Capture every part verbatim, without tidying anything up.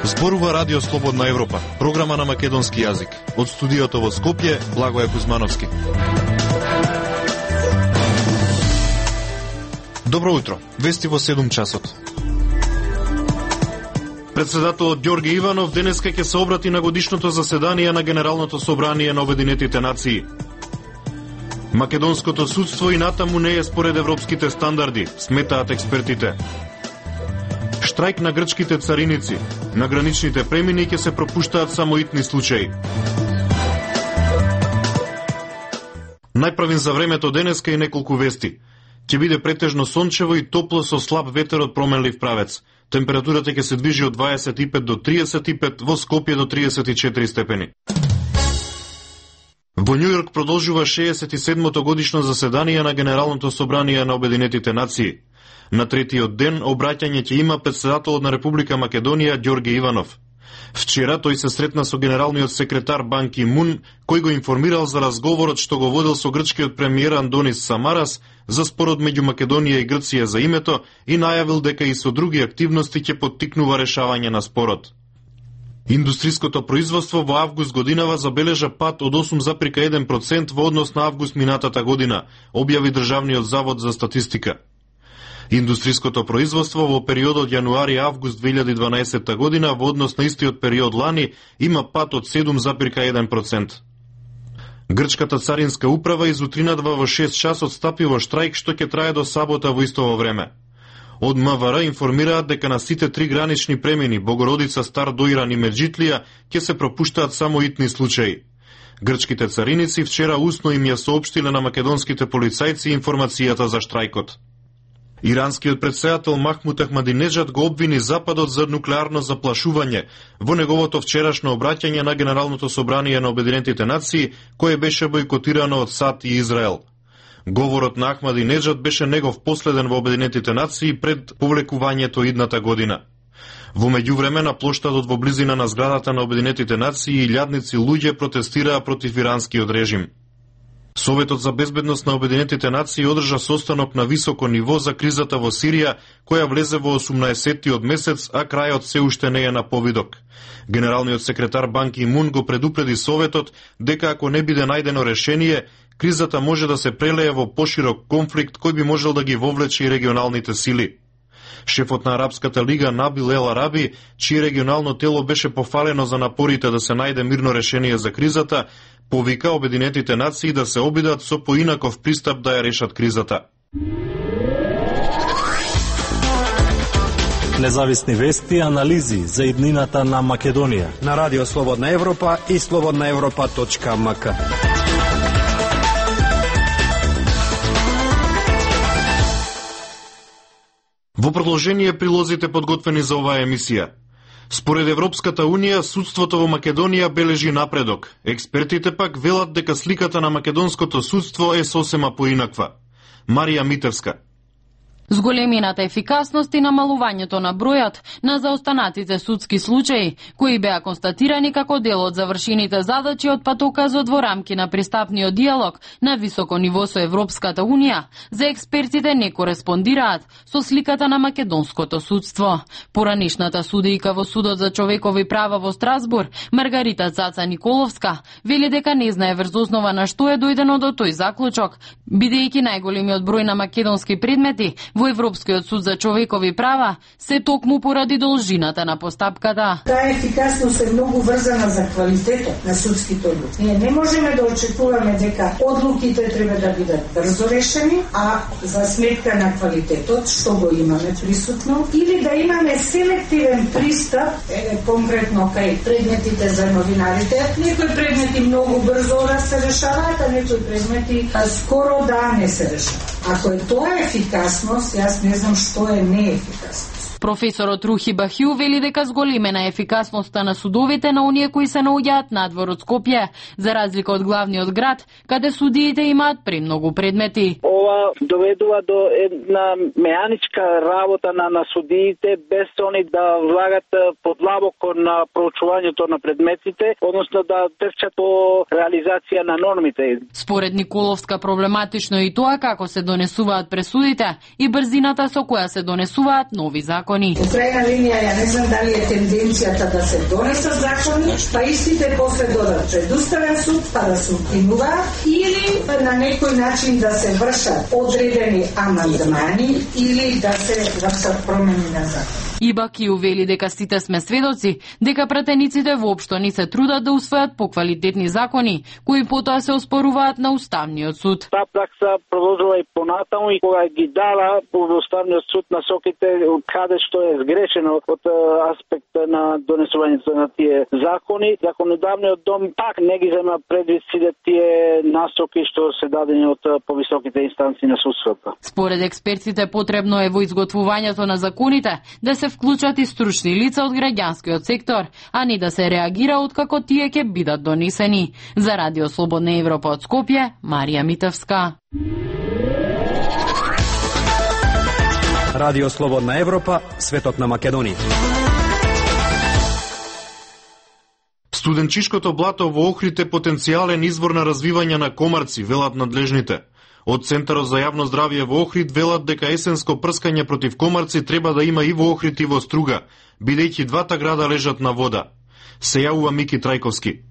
Зборува Радио Слободна Европа, програма на македонски јазик. Од студиото во Скопје, Благоје Кузмановски. Добро утро, вести во седум часот. Председателот Ѓорги Иванов денеска ќе се обрати на годишното заседание на Генералното собрание на Обединетите нации. Македонското судство и натаму не е според европските стандарди, сметаат експертите. Штрајк на грчките цариници. На граничните премини ќе се пропуштаат само итни случаи. Најправин за времето денеска и неколку вести. Ќе биде претежно сончево и топло со слаб ветер од променлив правец. Температурата ќе се движи од дваесет и пет до триесет и пет, во Скопје до триесет и четири степени. Во Њујорк продолжува шеесет и седмото годишно заседание на Генералното собрание на Обединетите нации. На третиот ден обраќање ќе има председателот на Република Македонија Ѓорги Иванов. Вчера тој се сретна со генералниот секретар Бан Ки Мун, кој го информирал за разговорот што го водил со грчкиот премиер Андонис Самарас за спорот меѓу Македонија и Грција за името и најавил дека и со други активности ќе поттикнува решавање на спорот. Индустриското производство во август годинава забележа пад од осум зарез еден процент во однос на август минатата година, објави Државниот завод за статистика. Индустриското производство во периодот јануари-август две илјади и дванаесетта година во однос на истиот период лани има пад од седум зарез еден процент. Грчката царинска управа изутринадва во шест часот стапи во штрајк што ќе трае до сабота во истово време. Од МВР информираат дека на сите три гранични премини Богородица, Стар Доиран и Меджитлија ќе се пропуштаат само итни случаи. Грчките цариници вчера усно им ја соопштиле на македонските полицајци информацијата за штрајкот. Иранскиот претседател Махмуд Ахмадинеджад го обвини Западот за нуклеарно заплашување во неговото вчерашно обраќање на Генералното собрание на Обединетите нации, кое беше бойкотирано од САД и Израел. Говорот на Ахмадинеджад беше негов последен во Обединетите нации пред повлекувањето идната година. Во меѓувреме на плоштадот во близина на зградата на Обединетите нации илјадници луѓе протестираа против иранскиот режим. Советот за безбедност на Обединетите нации одржа состанок на високо ниво за кризата во Сирија, која влезе во осумнаесеттиот месец, а крајот се уште не е на повидок. Генералниот секретар Бан Ки Мун го предупреди Советот дека ако не биде најдено решение, кризата може да се прелее во поширок конфликт кој би можел да ги вовлече и регионалните сили. Шефот на Арапската лига Набил Ел Араби, чие регионално тело беше пофалено за напорите да се најде мирно решение за кризата, повика Обединетите нации да се обидат со поинаков пристап да ја решат кризата. Независни вести и анализи за иднината на Македонија на Радио Слободна Европа и слободна европа точка ем ка. Во продолжение прилозите подготвени за оваа емисија. Според Европската Унија, судството во Македонија бележи напредок. Експертите пак велат дека сликата на македонското судство е сосема поинаква. Марија Митевска. Зголемината ефикасност и намалувањето на бројот на заостанатите судски случаи, кои беа констатирани како дел од завршените задачи од патоказот во рамки на пристапниот диалог на високо ниво со Европската Унија, за експертите не кореспондираат со сликата на македонското судство. Поранишната судејка во Судот за човекови права во Страсбур, Маргарита Цаца Николовска, вели дека не знае врз основа на што е дојдено до тој заклучок, бидејќи најголемиот број на македонски предмети во Европскиот суд за човекови права се токму поради должината на постапката. Таа ефикасност е многу врзана за квалитетот на судските одлуки. Ние не можеме да очекуваме дека одлуките треба да бидат брзо решени, а за сметка на квалитетот, што го имаме присутно, или да имаме селективен пристап, е, конкретно кај предметите за новинарите. Некои предмети многу брзо да се решаваат, а некои предмети скоро да не се решаваат. Ако е тоа ефикасност, јас не знам што е неефикасно. Професорот Рухи Бахју вели дека зголемена ефикасноста на судовите на оние кои се наоѓаат надвор од Скопје, за разлика од главниот град, каде судиите имаат премногу предмети. Ова доведува до една меаничка работа на, на судиите, без они да влагат подлабоко на проучувањето на предметите, односно да трчат по реализација на нормите. Според Николовска проблематично е и тоа како се донесуваат пресудите и брзината со која се донесуваат нови закони. закони. Во крајна линија, ја не знам дали е тенденцијата да се донесат закони, па истите после додат пред Уставен суд, па да се укинуваат, или на некој начин да се вршат одредени амандмани или да се вршат промени на закон. Ибаки увели дека сите сме сведоци, дека пратениците воопшто не се трудат да усвојат поквалитетни закони, кои потоа се оспоруваат на Уставниот суд. Таа пракса продолжува и понатаму и кога ги дала во Уставниот суд насоките каде што е сгрешено од аспект на донесувањето на тие закони, законодавниот дом пак не ги зема предвид сите тие насоки што се дадени од повисоките инстанции на судството. Според експертите потребно е во изготвувањето на законите да се вклучат и стручни лица од граѓанскиот сектор, а не да се реагира откако тие ќе бидат донесени. За Радио Слободна Европа од Скопје, Марија Митевска. Радио Слободна Европа, светот на Македонија. Студенчишкото блато во Охрид е потенцијален извор на развивање на комарци, велат надлежните. Од Центарот за јавно здравје во Охрид велат дека есенско прскање против комарци треба да има и во Охрид и во Струга, бидејќи двата града лежат на вода. Се јавува Мики Трајковски.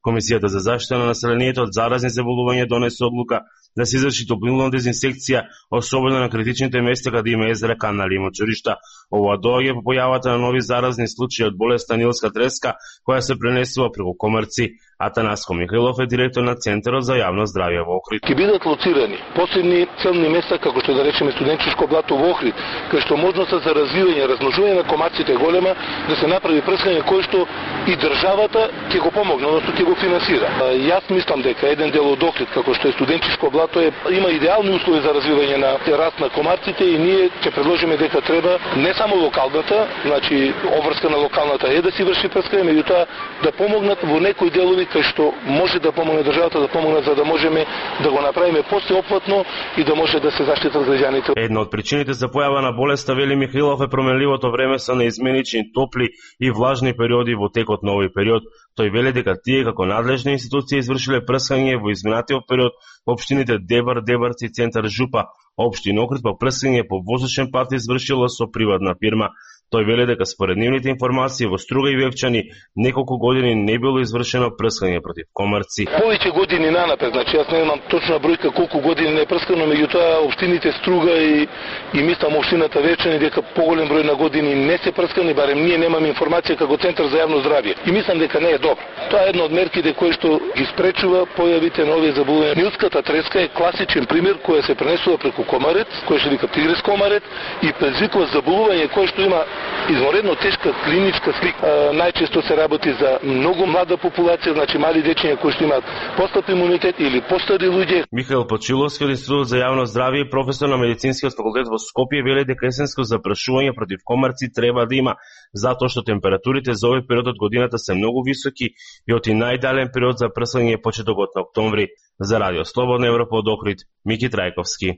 Комисијата за заштита на населението од заразни заболувања донесе одлука да се изврши топлинна дезинсекција, особено на критичните места каде има езера, канали и мочуришта. Ова доаѓа по појавата на нови заразни случаи од болеста нилска треска, која се пренесува преку комарци. Атанаско Михаилов е директор на Центарот за јавно здравје во Охрид. Ќе бидат лоцирани посебни целни места, како што да речеме студенчишко блато во Охрид, кај што можноста за развивање, размножување на комарците голема, да се направи прскање кој што и државата ќе го помогне, односно ќе го финансира. Јас мислам дека еден дел од Охрид, како што е студенчишко блато, е, има идеални услови за развивање на раст на комарците и ние ќе предложиме дека треба не само локалната, значи обврска на локалната е да си врши прскање, меѓутоа да помогнат во некои делови кај што може да помогне државата да помогне за да можеме да го направиме посеопфатно и да може да се заштитат граѓаните. Една од причините за појава на болеста, вели Михаилов, е променливото време со неизменични топли и влажни периоди во текот на овој период. Тој вели дека тие како надлежни институции извршиле прскање во изминатиот период во општините Дебар, Дебарци, Центар, Жупа. Општина Охрид па прскање по воздушен пат извршила со приватна фирма. Тој вели дека според нивните информации во Струга и Вевчани неколку години не било извршено прскање против комарци. Повеќе години нанапред, значи јас не знам точна бројка колку години не е прскано, меѓутоа општините Струга и и мислам општината Вевчани дека поголем број на години не се прскани, барем ние немаме информација како Центар за јавно здравје. И мислам дека не е добро. Тоа е една од мерките кои што ги спречува појавите на овие заболувања. Нилската треска е класичен пример која се пренесува преку комарец, кој што вика тигрес комарец и предизвикува заболување кое што има изморедно тешка клиничка слика. Најчесто се работи за многу млада популација, значи мали дечиња кои што имаат постап имунитет или постари луѓе. Михаил Почиловски од Институтот за јавно здравје и професор на медицинскиот факултет во Скопје вели дека есенско запрашување против комарци треба да има, затоа што температурите за овој период од годината се многу високи и од и најдален период за прскање е почетокот на октомври. За Радио Слободна Европа од Охрид, Мики Трајковски.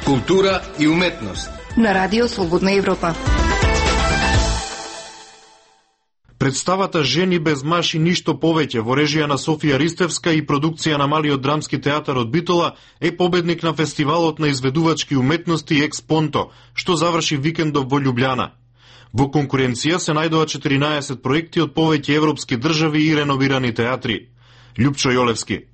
Култура и уметност на Радио Слободна Европа. Представата Жени без маж и ништо повеќе во режија на Софија Ристевска и продукција на Малиот драмски театар од Битола е победник на фестивалот на изведувачки уметности Експонто, што заврши викендов во Љубљана. Во конкуренција се најдоа четиринаесет проекти од повеќе европски држави и реновирани театри. Љупчо Јолевски.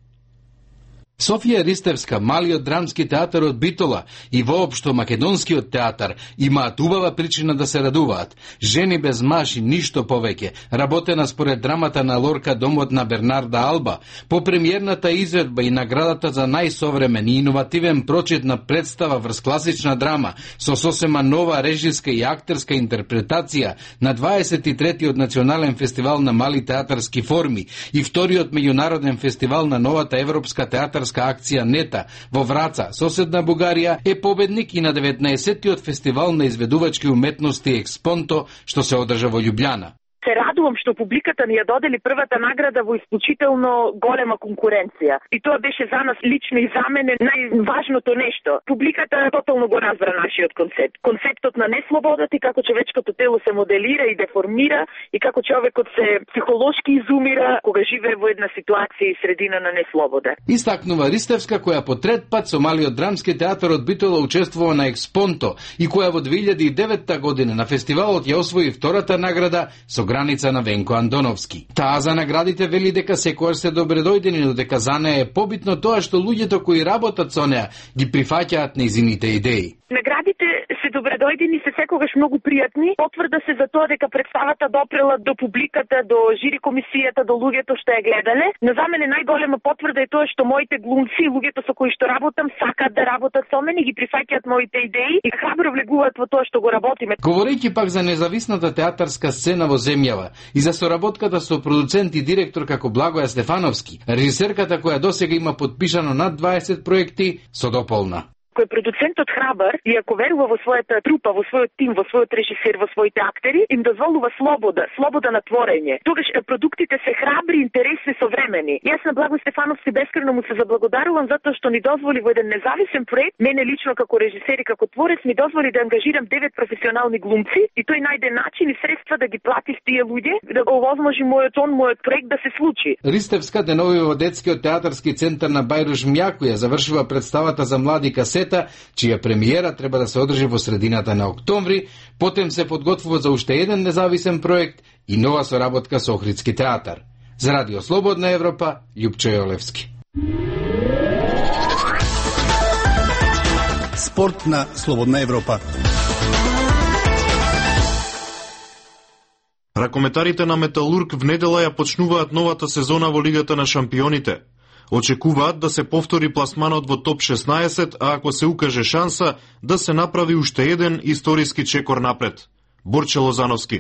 Софија Ристевска, Малиот драмски театар од Битола и воопшто македонскиот театар имаат убава причина да се радуваат. Жени без маж и ништо повеќе, работена според драмата на Лорка Домот на Бернарда Алба, по премиерната изведба и наградата за најсовремен и иновативен прочит на представа врз класична драма со сосема нова режиска и актерска интерпретација на дваесет и третиот национален фестивал на мали театарски форми и вториот меѓународен фестивал на новата европска театарска акција Нета во Враца, соседна Бугарија, е победник и на деветнаесеттиот фестивал на изведувачки уметности Експонто, што се одржа во Љубљана. Се радувам што публиката ни ја додели првата награда во исклучително голема конкуренција. И тоа беше за нас лично и за мене најважното нешто. Публиката тотално го разбра нашиот концепт. Концептот на неслободата и како човечкото тело се моделира и деформира и како човекот се психолошки изумира кога живее во една ситуација и средина на неслобода. Истакнува Ристевска, која по трет пат со Малиот драмски театар од Битола учествува на Експонто и која во две илјади и девета година на фестивалот ја освои втората награда со граница на Венко Андоновски. Таа за наградите вели дека секојаш се добредојдени, но дека за неа е побитно тоа што луѓето кои работат со неа ги прифаќаат нејзините идеи. Наградите се добредојдени, се секогаш многу пријатни. Потврда се за тоа дека представата допрела до публиката, до жири комисијата, до луѓето што ја гледале. Но за мене најголема потврда е тоа што моите глумци, луѓето со кои што работам, сакаат да работат со мене, ги прифаќаат моите идеи и храбро влегуваат во тоа што го работиме. Говорејќи пак за независната театарска сцена во земјава и за соработката со продуцент и директор како Благоја Стефановски, режисерката која досега има подпишано над дваесет проекти, со дополна. Кој продуцентот храбар и ако верува во својата трупа, во својот тим, во својот режисер, во своите актери, им дозволува слобода, слобода на творење. Тогаш продуктите се храбри, интересни, современи. Јас на Благој Стефановски бескрено му се заблагодарувам затоа што ни дозволи во еден независен проект, мене лично како режисер и како творец ми дозволи да ангажирам девет професионални глумци и тој најде начин и средства да ги плати тие луѓе, да го овозможи мојот он, мојот проект да се случи. Ристевска денови во детскиот театарски центар на Бајруш Мјаку ја завршува представата за млади касета, чија премиера треба да се одржи во средината на октомври, потем се подготвува за уште еден независен проект и нова соработка со Охридски театар. За Радио Слободна Европа, Љупчо Јолевски. Спорт на Слободна Европа. Ракометарите на Металург в недела ја почнуваат новата сезона во Лигата на шампионите. Очекуваат да се повтори пласманот во топ шеснаесет, а ако се укаже шанса, да се направи уште еден историски чекор напред. Борче Лозановски.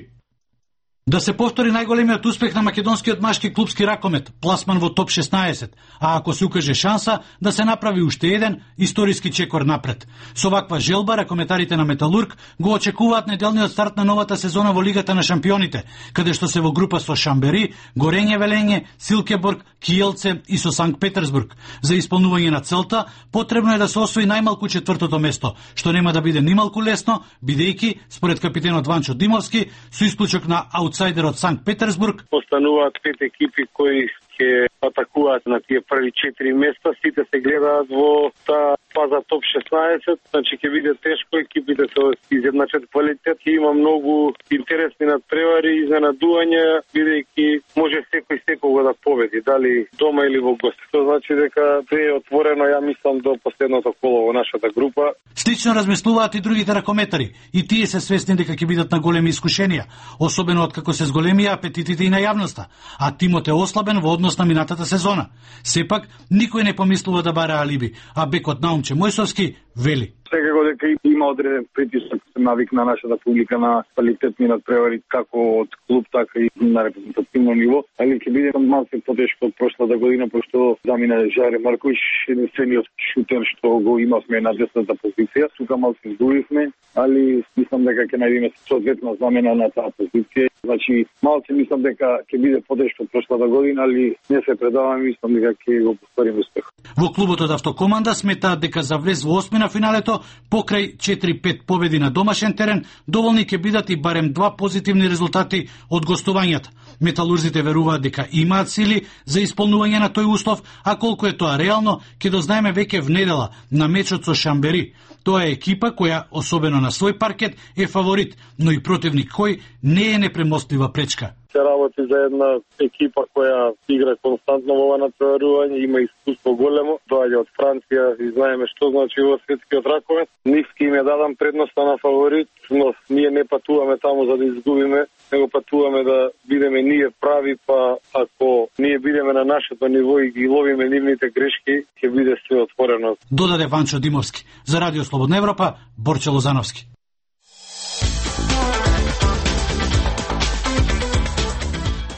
Да се повтори најголемиот успех на македонскиот машки клупски ракомет, пласман во топ шеснаесет, а ако се укаже шанса, да се направи уште еден историски чекор напред. Со ваква желба, ракометарите на Металург го очекуваат неделниот старт на новата сезона во Лигата на шампионите, каде што се во група со Шамбери, Горење Велење, Силкеборг, Киелце и со Санкт Петерсбург. За исполнување на целта, потребно е да се освои најмалку четвртото место, што нема да биде нималку лесно, бидејќи, според капитенот Ванчо Димовски, со исклучок на аутсайдерот Санкт Петерсбург, остануваат пет екипи кои ќе атакуваат на тие први четири места, сите се гледаат во таа фаза топ шеснаесет, значи ќе биде тешко, екипите се изедначат квалитет, ќе има многу интересни надпревари, изненадувања, бидејќи може секој секого да победи, дали дома или во гости. Тоа значи дека е отворено, ја мислам, до последното коло во нашата група. Слично размислуваат и другите ракометари, и тие се свесни дека ќе бидат на големи искушенија, особено откако се зголемија апетитите и на јавноста, а тимот е ослабен во однос на минатата сезона. Сепак, никој не помислува да бара алиби, а бекот Наумче Мојсовски вели: секако дека има одреден притисок, се навикна нашата публика на квалитетни надпревари како од клуб, така и на репрезентативно ниво, али ќе биде малку потешко од прошлата година, пошто замина Жаре Марковиќ, единствениот шутер што го имавме на десната позиција. Тука малку изгубивме, али мислам дека ќе најдеме соодветна замена на таа позиција. Значи, малку мислам дека ќе биде потешко од прошлата година, али не се предаваме, мислам дека ќе го повториме успех. Во клубот од Автокоманда сметаат дека за влез во осми на финалето, покрај четири пет победи на домашен терен, доволни ќе бидат и барем два позитивни резултати од гостувањата. Металурзите веруваат дека имаат сили за исполнување на тој услов, а колку е тоа реално, ќе дознаеме веќе в недела на мечот со Шамбери. Тоа е екипа која, особено на свој паркет, е фаворит, но и противник кој не е непремостива пречка. Се работи за една екипа која игра константно во ова натпреварување, има искуство големо, доаѓа од Франција и знаеме што значи во светскиот ракомет. Нивски им ја дадам предноста на фаворит, но ние не патуваме таму за да изгубиме, него патуваме да бидеме ние прави, па ако ние бидеме на нашето ниво и ги ловиме нивните грешки, ќе биде се отворено. Додаде Ванчо Димовски. За Радио Слободна Европа, Борче Лозановски.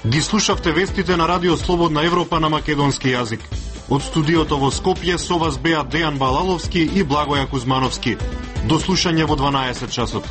Ги слушавте вестите на Радио Слободна Европа на македонски јазик. Од студиото во Скопје со вас беа Дејан Балаловски и Благоја Кузмановски. До слушање во дванаесет часот.